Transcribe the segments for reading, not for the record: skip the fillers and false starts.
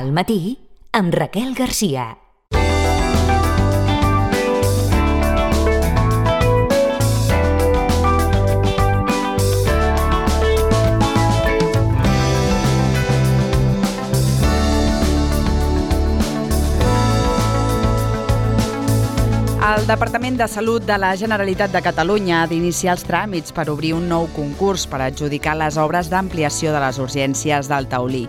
Al matí, amb Raquel Garcia. El Departament de Salut de la Generalitat de Catalunya ha d'iniciar els tràmits per obrir un nou concurs per adjudicar les obres d'ampliació de les urgències del Taulí.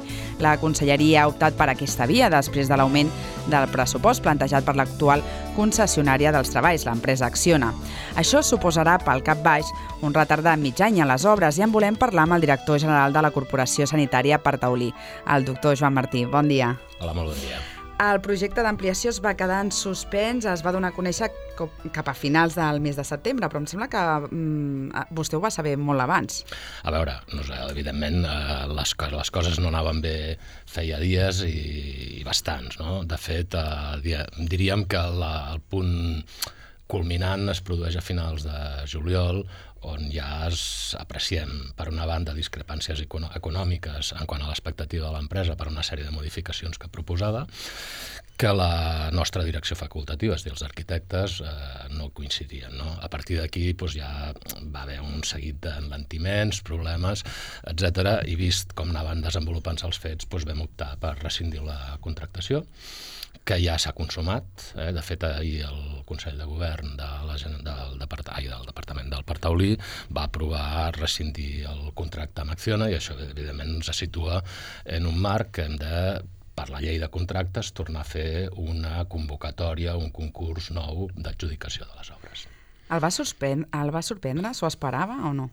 La Conselleria ha optat per aquesta via després de l'augment del pressupost plantejat per l'actual concessionària dels treballs, l'empresa Acciona. Això suposarà, pel cap baix, un retard de mig any a les obres i en volem parlar amb el director general de la Corporació Sanitària per Taulí, el doctor Joan Martí. Bon dia. Hola, molt bon dia. El projecte d'ampliació es va quedar en suspens, es va donar a conèixer cap a finals del mes de setembre, però em sembla que vostè ho va saber molt abans. A veure, evidentment les coses no anaven bé feia dies i bastants, no? De fet, diríem que el punt culminant es produeix a finals de juliol, on ja apreciem, per una banda, discrepàncies econòmiques en quant a l'expectativa de l'empresa per una sèrie de modificacions que proposava, que la nostra direcció facultativa, és a dir, els arquitectes, no coincidien, no? A partir d'aquí ja va haver un seguit d'enlentiments, problemes, etc. I vist com anaven desenvolupant-se els fets, vam optar per rescindir la contractació, que ja s'ha consumat. De fet, ahir el Consell de Govern del Departament del Parc Taulí va aprovar rescindir el contracte amb Acciona i això, evidentment, ens situa en un marc que hem de, per la llei de contractes, tornar a fer una convocatòria, un concurs nou d'adjudicació de les obres. El va sorprendre? S'ho esperava o no?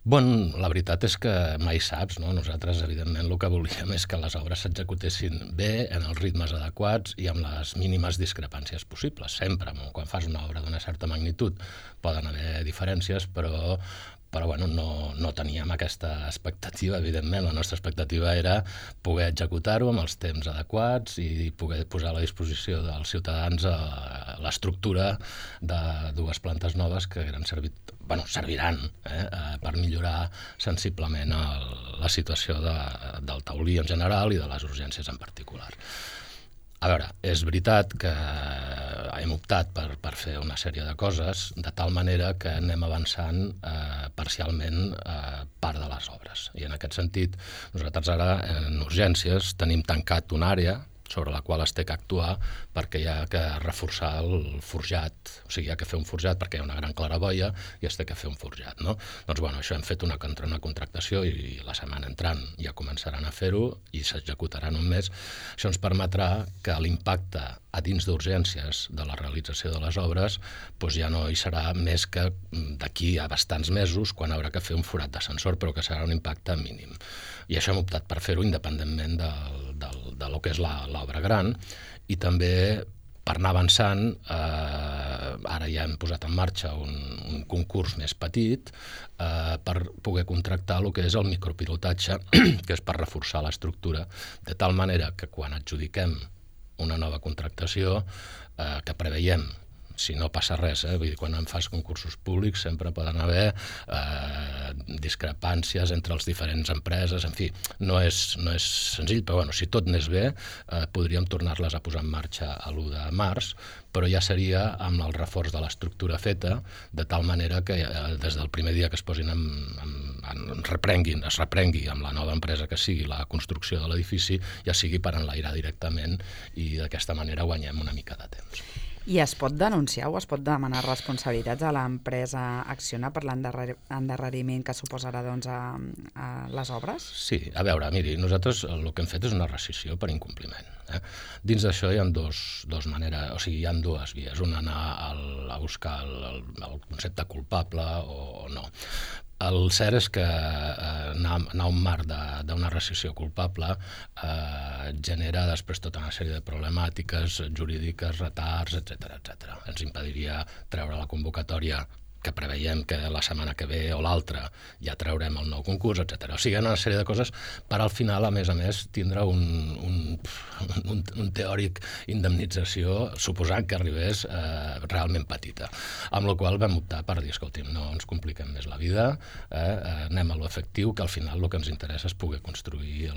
La veritat és que mai saps, no? Nosaltres, evidentment, el que volíem és que les obres s'executessin bé, en els ritmes adequats i amb les mínimes discrepàncies possibles. Sempre, quan fas una obra d'una certa magnitud, poden haver diferències, però no teníem aquesta expectativa, evidentment. La nostra expectativa era poder executar-ho amb els temps adequats i poder posar a la disposició dels ciutadans l'estructura de dues plantes noves que serviran per millorar sensiblement la situació del Taulí en general i de les urgències en particular. A veure, és veritat que hem optat per fer una sèrie de coses de tal manera que anem avançant parcialment part de les obres. I en aquest sentit, nosaltres ara en urgències tenim tancat una àrea sobre la qual es té que actuar perquè hi ha que reforçar el forjat, o sigui, hi ha que fer un forjat perquè hi ha una gran claraboia i es té que fer un forjat, no? Doncs això hem fet una contractació i la setmana entrant ja començaran a fer-ho i s'executarà en un mes. Això ens permetrà que l'impacte a dins d'urgències de la realització de les obres ja no hi serà més que d'aquí a bastants mesos quan haurà que fer un forat d'ascensor, però que serà un impacte mínim. I això hem optat per fer-ho independentment de lo que és l'obra gran i també per anar avançant, ara ja hem posat en marxa un concurs més petit per poder contractar el que és el micropilotatge, que és per reforçar l'estructura, de tal manera que quan adjudiquem una nova contractació, que preveiem, si no passa res, vull dir, quan en fas concursos públics sempre poden haver discrepàncies entre les diferents empreses, en fi, no és senzill, però si tot anés bé podríem tornar-les a posar en marxa a l'1 de març, però ja seria amb el reforç de l'estructura feta, de tal manera que des del primer dia que es posin es reprengui amb la nova empresa que sigui la construcció de l'edifici, ja sigui per enlairar directament i d'aquesta manera guanyem una mica de temps. I es pot denunciar o es pot demanar responsabilitats a l'empresa Acciona per l'endarreriment que suposarà a les obres? Sí, a veure, miri, nosaltres el que hem fet és una rescissió per incompliment. Dins d'això hi ha dues maneres, o sigui, hi ha dues vies. Una, anar a buscar el concepte culpable o no. El cert és que anar a un marc d'una rescissió culpable genera després tota una sèrie de problemàtiques jurídiques, retards, etc. Ens impediria treure la convocatòria que preveiem que la setmana que ve o l'altra ja traurem el nou concurs, etc. O sigui, hi ha una sèrie de coses per al final, a més, tindre un teòric indemnització suposant que arribés realment petita. Amb la qual vam optar per dir, escolti'm, no ens compliquem més la vida, anem a l'efectiu, que al final el que ens interessa és poder construir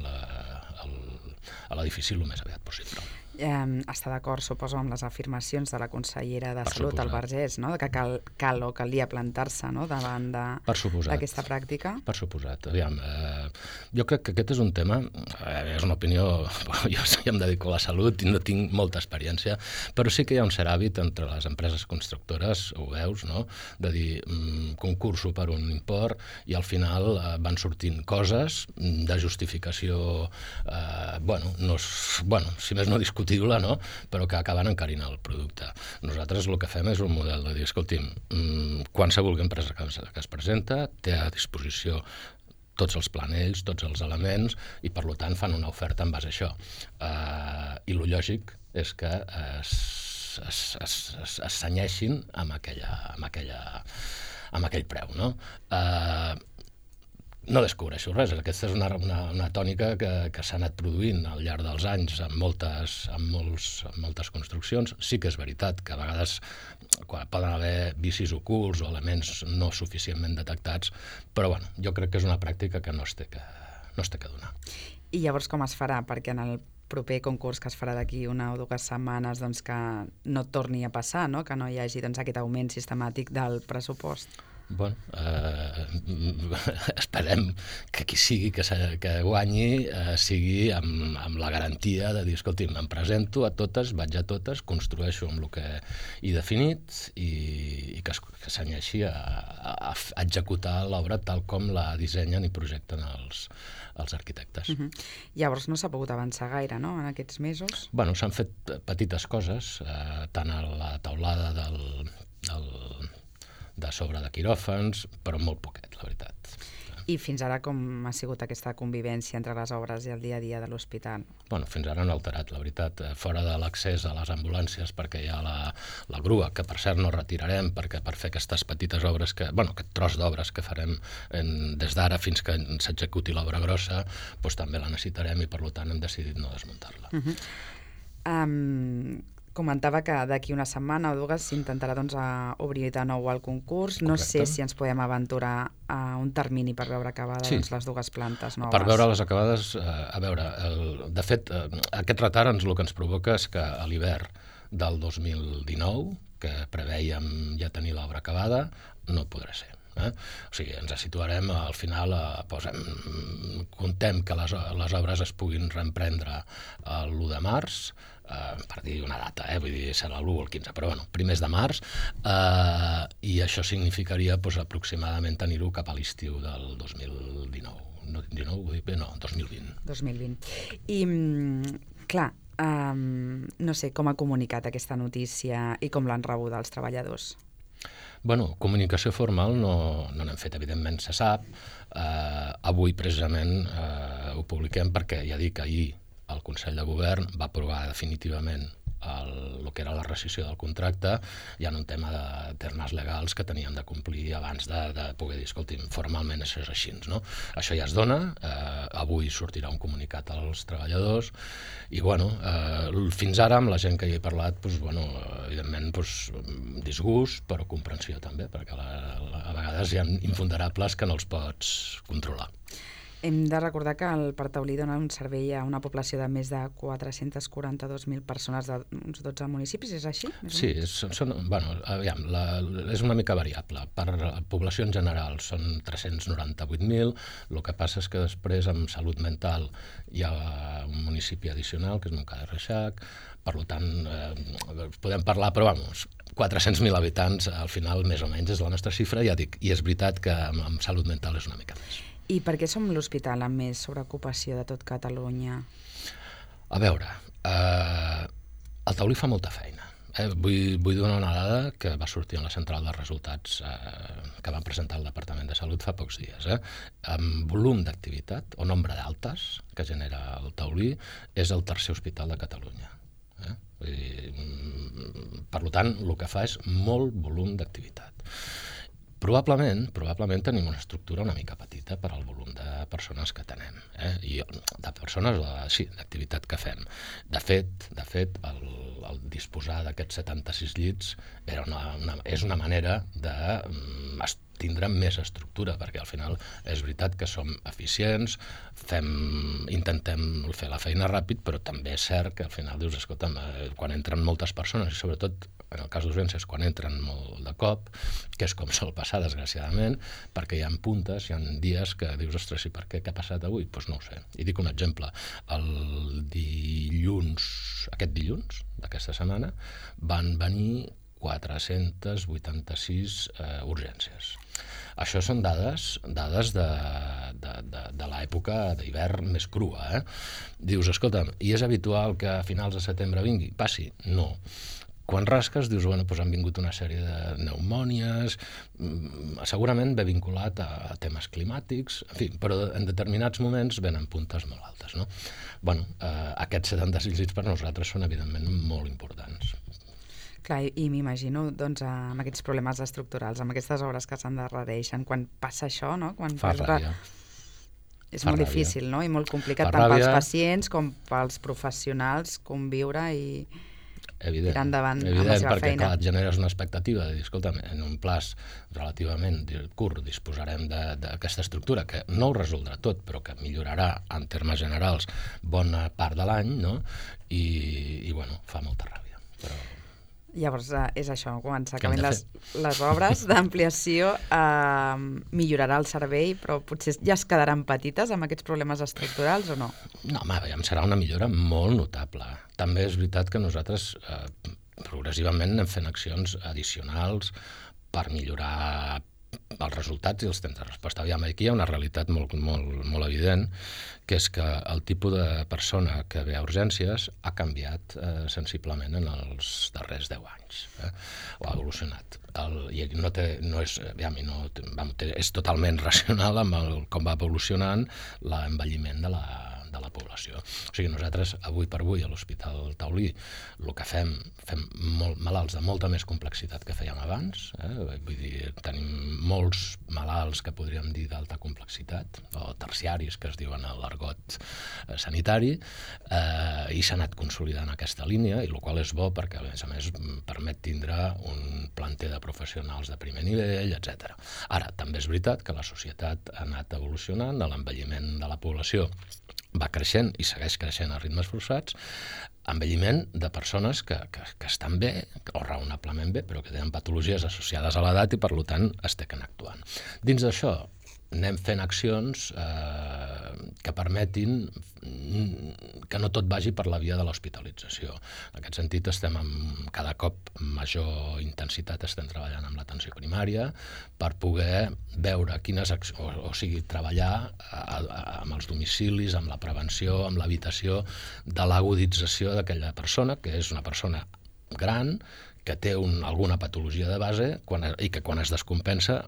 a l'edifici el més aviat possible. Està d'acord, suposo, amb les afirmacions de la consellera de Salut, el Vergés, no? Que cal o calia plantar-se, no? Davant d'aquesta pràctica? Per suposat. Aviam, jo crec que aquest és un tema, és una opinió, jo em dedico a la salut i no tinc molta experiència, però sí que hi ha un cert hàbit entre les empreses constructores, ho veus, no? De dir, concurso per un import i al final van sortint coses de justificació, si més no discutible, no? Però que acaben encarint el producte. Nosaltres el que fem és un model de dir, escolti'm, qualsevol empresa que es presenta té a disposició tots els planells, tots els elements, i per tant fan una oferta en base a això. I el lògic és que es cenyeixin amb aquell preu, no? No descobreixo res, aquesta és una tònica que s'ha anat produint al llarg dels anys en moltes construccions. Sí que és veritat que a vegades poden haver vicis ocults o elements no suficientment detectats, però jo crec que és una pràctica que no es té que donar. I llavors com es farà? Perquè en el proper concurs que es farà d'aquí una o dues setmanes que no torni a passar, no? Que no hi hagi aquest augment sistemàtic del pressupost. Esperem que qui sigui que guanyi sigui amb la garantia de dir, escolti'm, em presento a totes, vaig a totes, construeixo amb el que he definit i que s'anyeixi a executar l'obra tal com la dissenyen i projecten els arquitectes. Llavors no s'ha pogut avançar gaire, no?, en aquests mesos? S'han fet petites coses, tant a la teulada de sobre de quiròfans, però molt poquet, la veritat. I fins ara com ha sigut aquesta convivència entre les obres i el dia a dia de l'hospital? Fins ara han alterat, la veritat, fora de l'accés a les ambulàncies, perquè hi ha la grua, que per cert no retirarem, perquè per fer aquestes petites obres, aquest tros d'obres que farem des d'ara fins que s'executi l'obra grossa, també la necessitarem i per tant hem decidit no desmuntar-la. Comentava que d'aquí una setmana o dues s'intentarà obrir de nou el concurs. No sé si ens podem aventurar a un termini per veure acabades les dues plantes noves. Per veure-les acabades, de fet, aquest retard el que ens provoca és que a l'hivern del 2019, que prevèiem ja tenir l'obra acabada, no podrà ser. O sigui, ens situarem al final, contem que les obres es puguin reemprendre l'1 de març, per dir una data, vull dir, serà l'1 o el 15, però primers de març, i això significaria aproximadament tenir-ho cap a l'estiu del 2019. No, 2020. 2020. I, clar, no sé, com ha comunicat aquesta notícia i com l'han rebuda els treballadors? Comunicació formal no n'hem fet, evidentment se sap. Avui precisament ho publiquem perquè ja dic, ahir el Consell de Govern va aprovar definitivament el que era la rescissió del contracte. Hi ha un tema de termes legals que teníem de complir abans de poder dir, escolti'm, formalment això és així, no? Això ja es dona, avui sortirà un comunicat als treballadors i, fins ara amb la gent que hi he parlat, evidentment, disgust, però comprensió també, perquè a vegades hi ha imponderables que no els pots controlar. Hem de recordar que el Parc Taulí dona un servei a una població de més de 442.000 persones d'uns 12 municipis, és així? Sí, és una mica variable. Per població en general són 398.000, el que passa és que després amb salut mental hi ha un municipi addicional, que és Montcada i Reixac, per tant, podem parlar, però 400.000 habitants, al final, més o menys, és la nostra xifra, ja dic, i és veritat que amb salut mental és una mica més. I per què som l'hospital amb més sobreocupació de tot Catalunya? A veure, el Taulí fa molta feina. Vull donar una dada que va sortir en la central de resultats que van presentar el Departament de Salut fa pocs dies. Amb volum d'activitat o nombre d'altes que genera el Taulí, és el tercer hospital de Catalunya. Per tant, el que fa és molt volum d'activitat. Probablement tenim una estructura una mica petita per al volum de persones que tenem, i de persones, sí, d'activitat que fem. De fet, el disposar d'aquests 76 llits és una manera de tindre més estructura, perquè al final és veritat que som eficients, intentem fer la feina ràpid, però també és cert que al final dius, escolta'm, quan entren moltes persones, i sobretot en el cas d'urgències, quan entren molt de cop, que és com sol passar, desgraciadament, perquè hi ha puntes, hi ha dies que dius, ostres, i per què? Què ha passat avui? Doncs no ho sé. I dic un exemple. Aquest dilluns d'aquesta setmana van venir 486 urgències. Això són dades de l'època d'hivern més crua. Dius, escolta'm, i és habitual que a finals de setembre vingui? Passi? No. Quan rasques, dius, bueno, doncs han vingut una sèrie de pneumònies, segurament ve vinculat a temes climàtics, en fi, però en determinats moments venen puntes molt altes, no? Bueno, aquests 76 llits per nosaltres són evidentment molt importants. Clar, i m'imagino, doncs, amb aquests problemes estructurals, amb aquestes obres que s'endarrereixen, quan passa això, no? Fa ràbia. És molt difícil, no? I molt complicat tant pels pacients com pels professionals conviure i tirar endavant amb la seva perquè, feina. Clar, et generes una expectativa de dir, escolta'm, en un plaç relativament curt disposarem d'aquesta estructura que no ho resoldrà tot, però que millorarà en termes generals bona part de l'any, no? I bueno, fa molta ràbia. Però llavors, és això, quan s'acaben les obres d'ampliació, millorarà el servei, però potser ja es quedaran petites amb aquests problemes estructurals o no? No, home, serà una millora molt notable. També és veritat que nosaltres progressivament anem fent accions addicionals per millorar els resultats i els temps de resposta. Aviam, aquí hi ha una realitat molt evident, que és que el tipus de persona que ve a urgències ha canviat sensiblement en els darrers 10 anys, o ha evolucionat. I és totalment racional amb com va evolucionant l'envelliment de la població. O sigui, nosaltres avui per avui a l'Hospital Taulí el que fem malalts de molta més complexitat que fèiem abans, vull dir, tenim molts malalts que podríem dir d'alta complexitat, o terciaris, que es diuen a l'argot sanitari, i s'ha anat consolidant aquesta línia, i el qual és bo perquè, a més, permet tindre un planter de professionals de primer nivell, etc. Ara, també és veritat que la societat ha anat evolucionant, l'envelliment de la població va creixent i segueix creixent a ritmes forçats, envelliment de persones que estan bé, o raonablement bé, però que tenen patologies associades a l'edat i, per tant, estan actuant. Dins d'això, anem fent accions que permetin que no tot vagi per la via de l'hospitalització. En aquest sentit, estem amb cada cop major intensitat, estem treballant amb l'atenció primària per poder veure quines accions, o sigui, treballar amb els domicilis, amb la prevenció, amb l'evitació de l'agudització d'aquella persona, que és una persona gran, que té alguna patologia de base i que quan es descompensa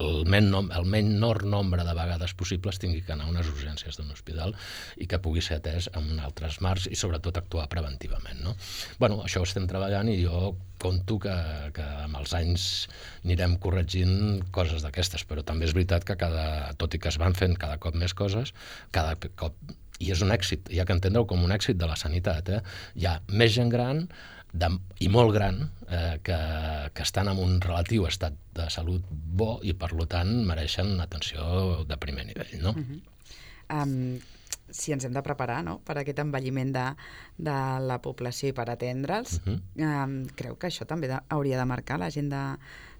el menor nombre de vegades possibles tingui que anar a unes urgències d'un hospital i que pugui ser atès en altres marcs i sobretot actuar preventivament, no? Bueno, això ho estem treballant i jo conto que amb els anys anirem corregint coses d'aquestes, però també és veritat que tot i que es van fent cada cop més coses, cada cop, i és un èxit, hi ha que entendre-ho com un èxit de la sanitat, hi ha més gent gran i molt gran que estan en un relatiu estat de salut bo i per tant mereixen atenció de primer nivell, no? Si ens hem de preparar, no?, per aquest envelliment de la població i per atendre'ls, creu que això també hauria de marcar l'agenda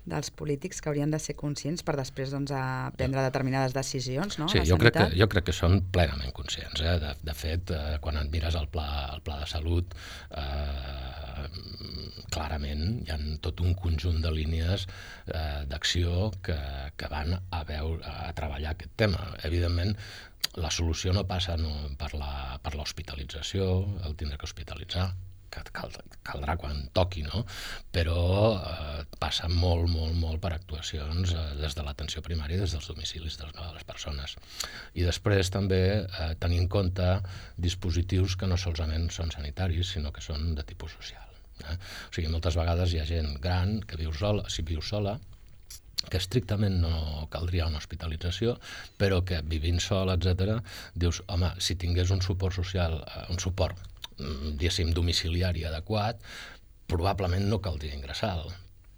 dels polítics, que haurien de ser conscients per després prendre determinades decisions, no? Sí, jo crec que són plenament conscients. De fet, quan et mires el pla de salut, clarament hi ha tot un conjunt de línies d'acció que van a treballar aquest tema. Evidentment, la solució no passa per l'hospitalització, el tindre que hospitalitzar, que caldrà quan toqui, no? Però passa molt per actuacions des de l'atenció primària, des dels domicilis de les persones. I després també tenir en compte dispositius que no solament són sanitaris, sinó que són de tipus social. O sigui, moltes vegades hi ha gent gran que viu sola, que estrictament no caldria una hospitalització, però que vivint sol, etc., dius, home, si tingués un suport social, un suport diguéssim, domiciliari adequat, probablement no caldria ingressar-lo.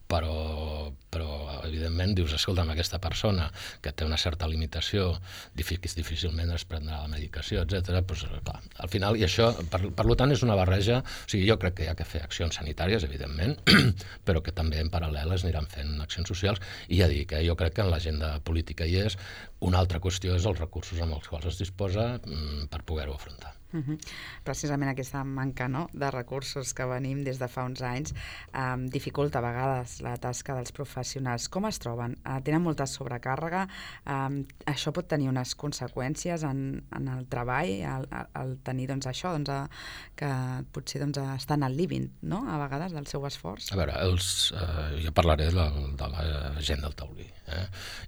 Però evidentment dius, escolta, amb aquesta persona que té una certa limitació, difícilment es prendrà la medicació, etc. Doncs, clar, al final, i això, per tant, és una barreja, o sigui, jo crec que hi ha que fer accions sanitàries, evidentment, però que també en paral·lel es aniran fent accions socials, i ja dic, jo crec que en l'agenda política hi és. Una altra qüestió és els recursos amb els quals es disposa per poder-ho afrontar. Precisament aquesta manca, no?, de recursos que venim des de fa uns anys dificulta a vegades la tasca dels professionals. Com es troben? Tenen molta sobrecàrrega? Això pot tenir unes conseqüències en el treball, al tenir això, que potser estan al límit, no?, a vegades del seu esforç? A veure, jo parlaré de la gent del taulí,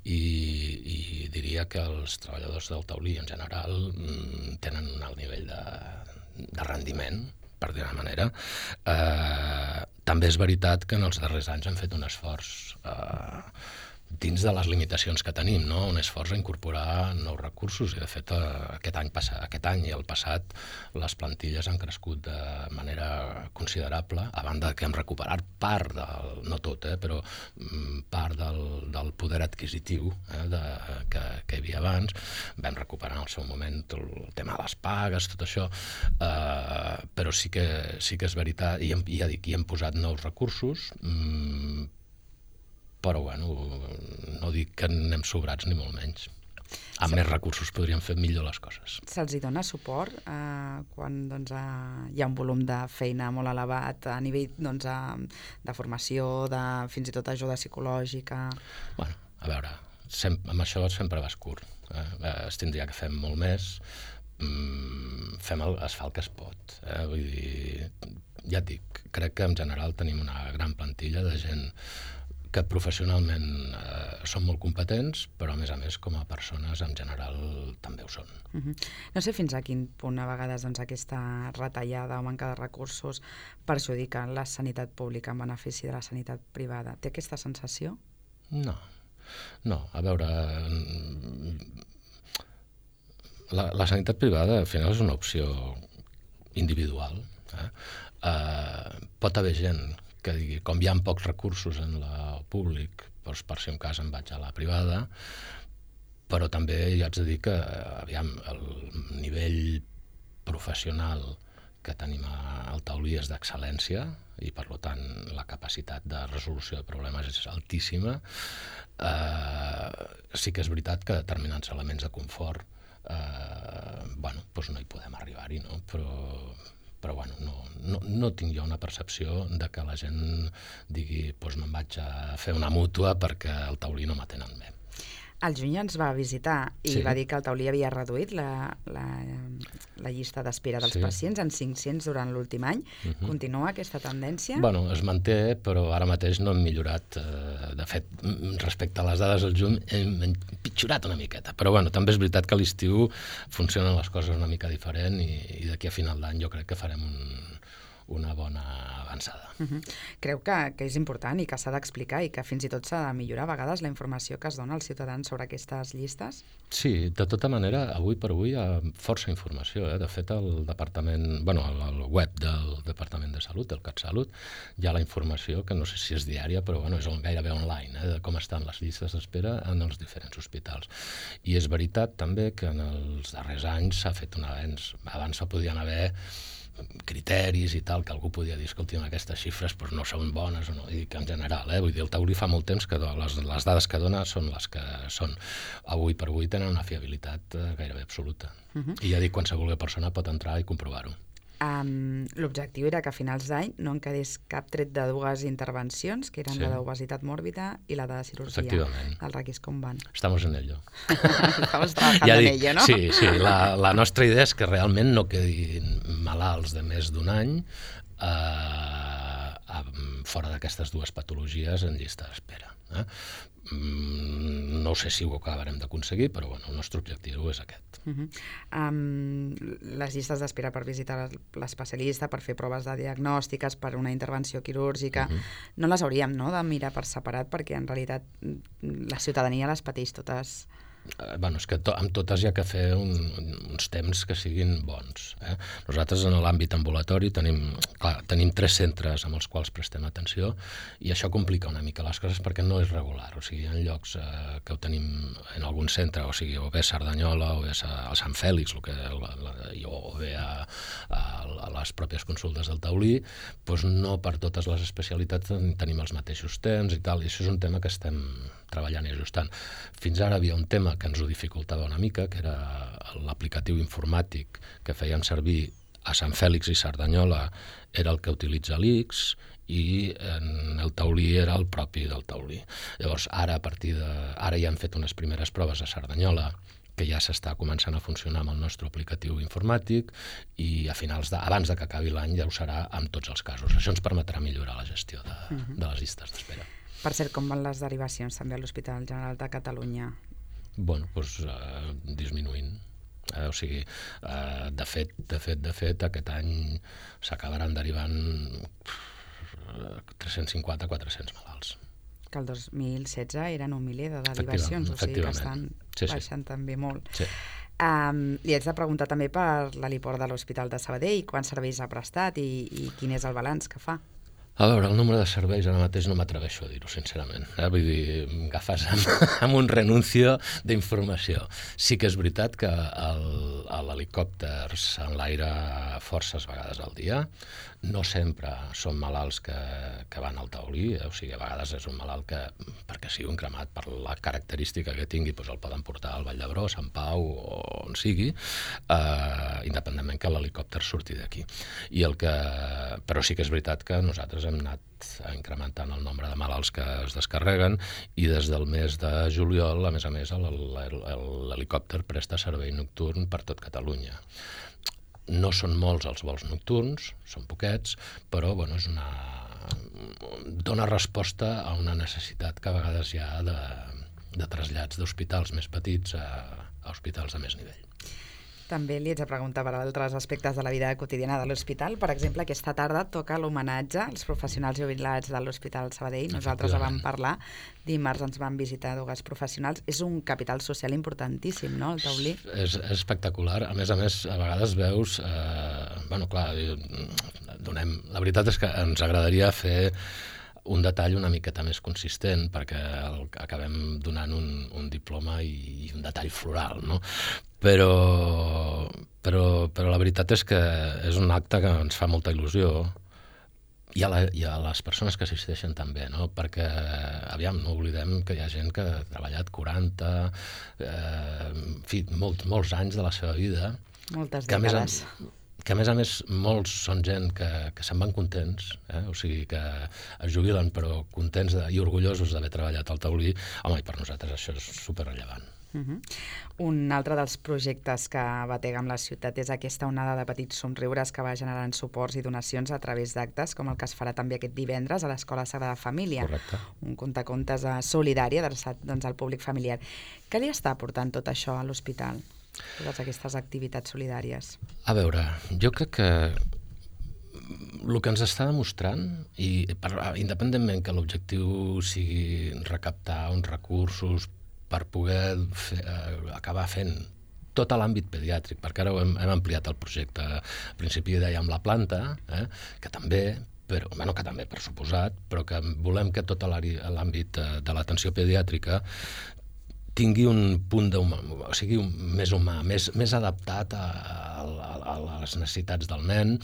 i diria que els treballadors del taulí en general tenen un alt nivell de rendiment, per dir-ho d'una manera. També és veritat que en els darrers anys hem fet un esforç dins de les limitacions que tenim, no? Un esforç a incorporar nous recursos, i de fet aquest any i el passat les plantilles han crescut de manera considerable, a banda que hem recuperat part no tot, però part del poder adquisitiu que hi havia abans. Vam recuperar en el seu moment el tema de les pagues, tot això, però sí que és veritat, i ja dic, hi hem posat nous recursos, però bueno, no dic que anem sobrats ni molt menys. Amb més recursos podríem fer millor les coses. Se'ls dona suport quan hi ha un volum de feina molt elevat a nivell de formació, fins i tot ajuda psicològica? Bueno, a veure, amb això sempre vas curt. Es tindria que fer molt més. Es fa el que es pot. Vull dir, ja et dic, crec que en general tenim una gran plantilla de gent que professionalment són molt competents, però a més com a persones en general també ho són. No sé fins a quin punt a vegades aquesta retallada o manca de recursos perjudica la sanitat pública en benefici de la sanitat privada. Té aquesta sensació? No, a veure, la sanitat privada al final és una opció individual. Pot haver gent que digui, com hi ha pocs recursos en el públic, doncs per si un cas em vaig a la privada, però també ja haig de dir que el nivell professional que tenim al taulí és d'excel·lència, i per tant la capacitat de resolució de problemes és altíssima. Sí que és veritat que determinats elements de confort no hi podem arribar-hi, no? Però no tinc jo una percepció de que la gent digui me'n vaig a fer una mútua perquè el taulí no m'atenen bé. El juny ens va visitar i va dir que el taulí havia reduït la llista d'espera dels pacients en 500 durant l'últim any. Continua aquesta tendència? Bueno, es manté, però ara mateix no hem millorat. De fet, respecte a les dades del juny hem empitjorat una miqueta. Però també és veritat que a l'estiu funcionen les coses una mica diferent i d'aquí a final d'any jo crec que farem una bona avançada. Creu que és important i que s'ha d'explicar i que fins i tot s'ha de millorar a vegades la informació que es dona als ciutadans sobre aquestes llistes? Sí, de tota manera, avui per avui hi ha força informació. De fet, al web del Departament de Salut, del CatSalut, hi ha la informació, que no sé si és diària, però és gairebé online, de com estan les llistes d'espera en els diferents hospitals. I és veritat també que en els darrers anys s'ha fet un avenç. Abans podien haver criteris i tal, que algú podia dir, escolti, aquestes xifres no són bones, i que en general, vull dir, el taulí fa molt temps que les dades que dona són les que són. Avui per avui tenen una fiabilitat gairebé absoluta. I ja dic, qualsevol persona pot entrar i comprovar-ho. L'objectiu era que a finals d'any no en quedés cap tret de dues intervencions, que eren la d'obesitat mòrbida i la de cirurgia del raquis. Com van? Estamos en ello. Estamos trabajando en ello, ¿no? Sí, la nostra idea és que realment no quedin malalts de més d'un any fora d'aquestes dues patologies en llista d'espera. No sé si ho acabarem d'aconseguir, però el nostre objectiu és aquest. Les llistes d'espera per visitar l'especialista, per fer proves de diagnòstiques, per una intervenció quirúrgica, no les hauríem de mirar per separat, perquè en realitat la ciutadania les pateix totes És que amb totes hi ha que fer uns temps que siguin bons. Nosaltres en l'àmbit ambulatori tenim 3 centres amb els quals prestem atenció i això complica una mica les coses perquè no és regular. O sigui, hi ha llocs que ho tenim en algun centre, o sigui, o bé a Cerdanyola o bé a Sant Fèlix, o bé a les pròpies consultes del taulí, doncs no per totes les especialitats tenim els mateixos temps i tal, i això és un tema que estem treballant i ajustant. Fins ara havia un tema que ens ho dificultava una mica, que era l'aplicatiu informàtic que fèiem servir a Sant Fèlix i Cerdanyola, era el que utilitza l'ICS, i en el taulí era el propi del taulí. Llavors, ara ja han fet unes primeres proves a Cerdanyola, que ja s'està començant a funcionar amb el nostre aplicatiu informàtic, i abans que acabi l'any ja ho serà amb tots els casos. Això ens permetrà millorar la gestió de les llistes d'espera. Per cert, com van les derivacions també a l'Hospital General de Catalunya? Bueno, doncs disminuint. O sigui, de fet, aquest any s'acabaran derivant 350-400 malalts. Que el 2016 eren un miler de derivacions, o sigui que estan baixant també molt. Sí. Li haig de preguntar també per l'heliport de l'Hospital de Sabadell, quants serveis ha prestat i quin és el balanç que fa? A veure, el nombre de serveis ara mateix no m'atreveixo a dir-ho, sincerament. Vull dir, m'agafes amb un renuncio d'informació. Sí que és veritat que l'helicòpters en l'aire forces vegades al dia, no sempre són malalts que van al taulí, o sigui, a vegades és un malalt que, perquè sigui un cremat, per la característica que tingui, doncs el poden portar al Vall d'Hebron, Sant Pau o on sigui, independentment que l'helicòpter surti d'aquí. Però sí que és veritat que nosaltres hem anat incrementant el nombre de malalts que es descarreguen i des del mes de juliol, a més, l'helicòpter presta servei nocturn per tot Catalunya. No són molts els vols nocturns, són poquets, però dona resposta a una necessitat que a vegades hi ha de trasllats d'hospitals més petits a hospitals de més nivell. També li haig de preguntar per altres aspectes de la vida quotidiana de l'hospital. Per exemple, aquesta tarda toca l'homenatge als professionals jubilats de l'Hospital Sabadell. Nosaltres vam parlar, dimarts ens van visitar 2 professionals. És un capital social importantíssim, no?, el taulí. És espectacular. A més, a vegades veus... La veritat és que ens agradaria fer un detall una miqueta més consistent perquè acabem donant un diploma i un detall floral, no? Però la veritat és que és un acte que ens fa molta il·lusió i a les persones que assisteixen també, no? Perquè, aviam, no oblidem que hi ha gent que ha treballat 40, molts anys de la seva vida. Moltes dècades. Que a més molts són gent que se'n van contents, o sigui que es jubilen però contents i orgullosos d'haver treballat al taulí. Home, i per nosaltres això és superrellevant. Un altre dels projectes que batega amb la ciutat és aquesta onada de petits somriures que va generant suports i donacions a través d'actes, com el que es farà també aquest divendres a l'Escola Sagrada Família. Correcte. Un contacontes solidari adreçat al públic familiar. Què li està aportant tot això a l'hospital? Totes aquestes activitats solidàries. A veure, jo crec que el que ens està demostrant, i independentment que l'objectiu sigui recaptar uns recursos per poder acabar fent tot l'àmbit pediàtric, perquè ara hem ampliat el projecte. Al principi dèiem la planta, que també, per suposat, però que volem que tot l'àmbit de l'atenció pediàtrica tingui un punt o sigui, més humà, més adaptat a les necessitats del nen,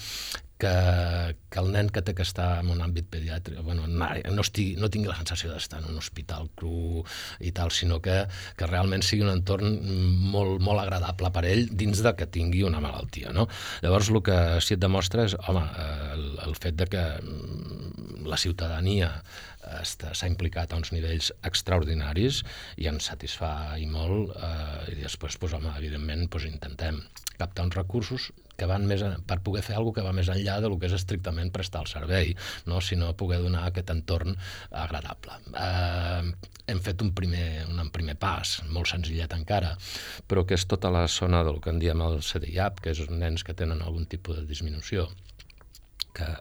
que el nen que té que estar en un àmbit pediàtric no tingui la sensació d'estar en un hospital cru i tal, sinó que realment sigui un entorn molt, molt agradable per ell dins de que tingui una malaltia, no? Llavors el que sí et demostra és, el fet de que la ciutadania s'ha implicat a uns nivells extraordinaris i ens satisfà i molt, i després, evidentment, intentem captar uns recursos que van per poder fer alguna cosa que va més enllà del que és estrictament prestar el servei, no? Sinó poder donar aquest entorn agradable. Hem fet un primer pas, molt senzillet encara, però que és tota la zona del que en diem el CDIAP, que és nens que tenen algun tipus de disminució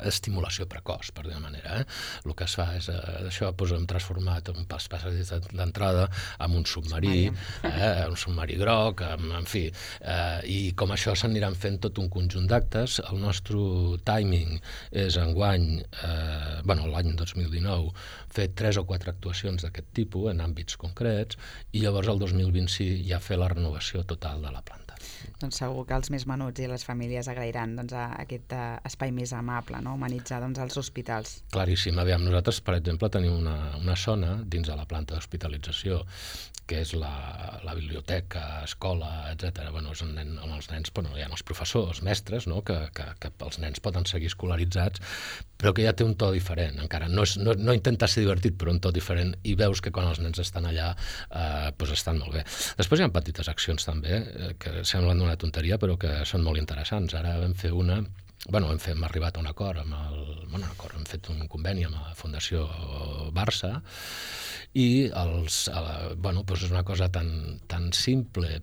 estimulació precoç, per dir-ho manera. El que es fa és, això hem transformat un pas d'entrada en un submarí, un submarí groc, en fi, i com això s'aniran fent tot un conjunt d'actes. El nostre timing és enguany, l'any 2019, fer 3 o 4 actuacions d'aquest tipus en àmbits concrets, i llavors el 2026 ja fer la renovació total de la planta. Doncs segur que els més menuts i les famílies agrairan aquest espai més amable, no? Humanitzar els hospitals. Claríssim. Aviam, nosaltres, per exemple, tenim una zona dins de la planta d'hospitalització, que és la biblioteca, escola, etc. Amb els nens, hi ha els professors, mestres, no? que els nens poden seguir escolaritzats, però que ja té un to diferent. Encara no intenta ser divertit, però un to diferent, i veus que quan els nens estan allà estan molt bé. Després hi ha petites accions també, que semblen una tonteria, però que són molt interessants. Ara vam fer hem arribat a un acord hem fet un conveni amb la Fundació Barça, i és una cosa tan simple,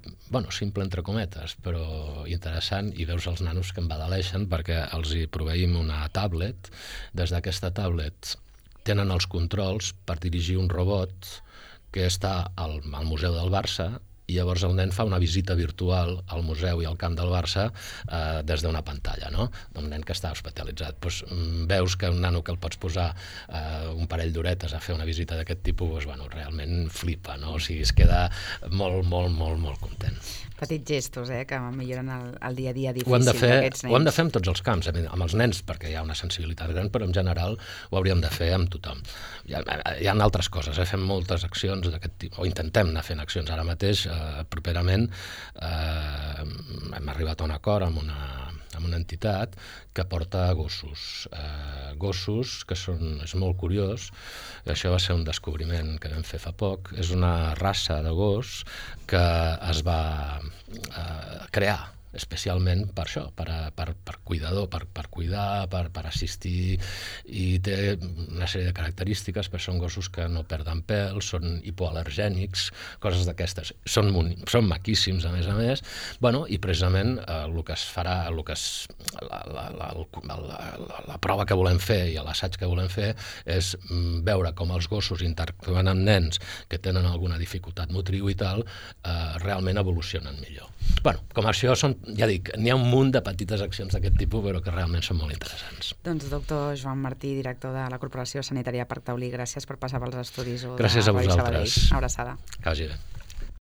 simple entre cometes, però interessant, i veus els nanos que embadaleixen perquè els hi proveïm una tablet. Des d'aquesta tablet tenen els controls per dirigir un robot que està al Museu del Barça, i llavors el nen fa una visita virtual al museu i al camp del Barça des d'una pantalla, no? D'un nen que està hospitalitzat. Veus que un nano que el pots posar un parell d'horetes a fer una visita d'aquest tipus, realment flipa, no? O sigui, es queda molt, molt, molt, molt content. Petits gestos, que milloren el dia a dia difícil d'aquests nens. Ho hem de fer amb tots els camps, amb els nens, perquè hi ha una sensibilitat gran, però en general ho hauríem de fer amb tothom. Hi ha altres coses, fem moltes accions d'aquest tipus, o intentem anar fent accions. Ara mateix, properament, hem arribat a un acord amb una entitat que porta gossos. Gossos que és molt curiós, això va ser un descobriment que vam fer fa poc, és una raça de gos que es va crear especialment per això, per cuidador, per cuidar, per assistir, i té una sèrie de característiques, però són gossos que no perden pèl, són hipoal·lergènics, coses d'aquestes. Són maquíssims, a més, i precisament el que es farà, la prova que volem fer i l'assaig que volem fer és veure com els gossos interactuant amb nens que tenen alguna dificultat motriu i tal, realment evolucionen millor. Com això ja dic, n'hi ha un munt de petites accions d'aquest tipus, però que realment són molt interessants. Doncs doctor Joan Martí, director de la Corporació Sanitària Parc Taulí, gràcies per passar pels estudis. Gràcies a vosaltres. Abraçada. Que vagi bé.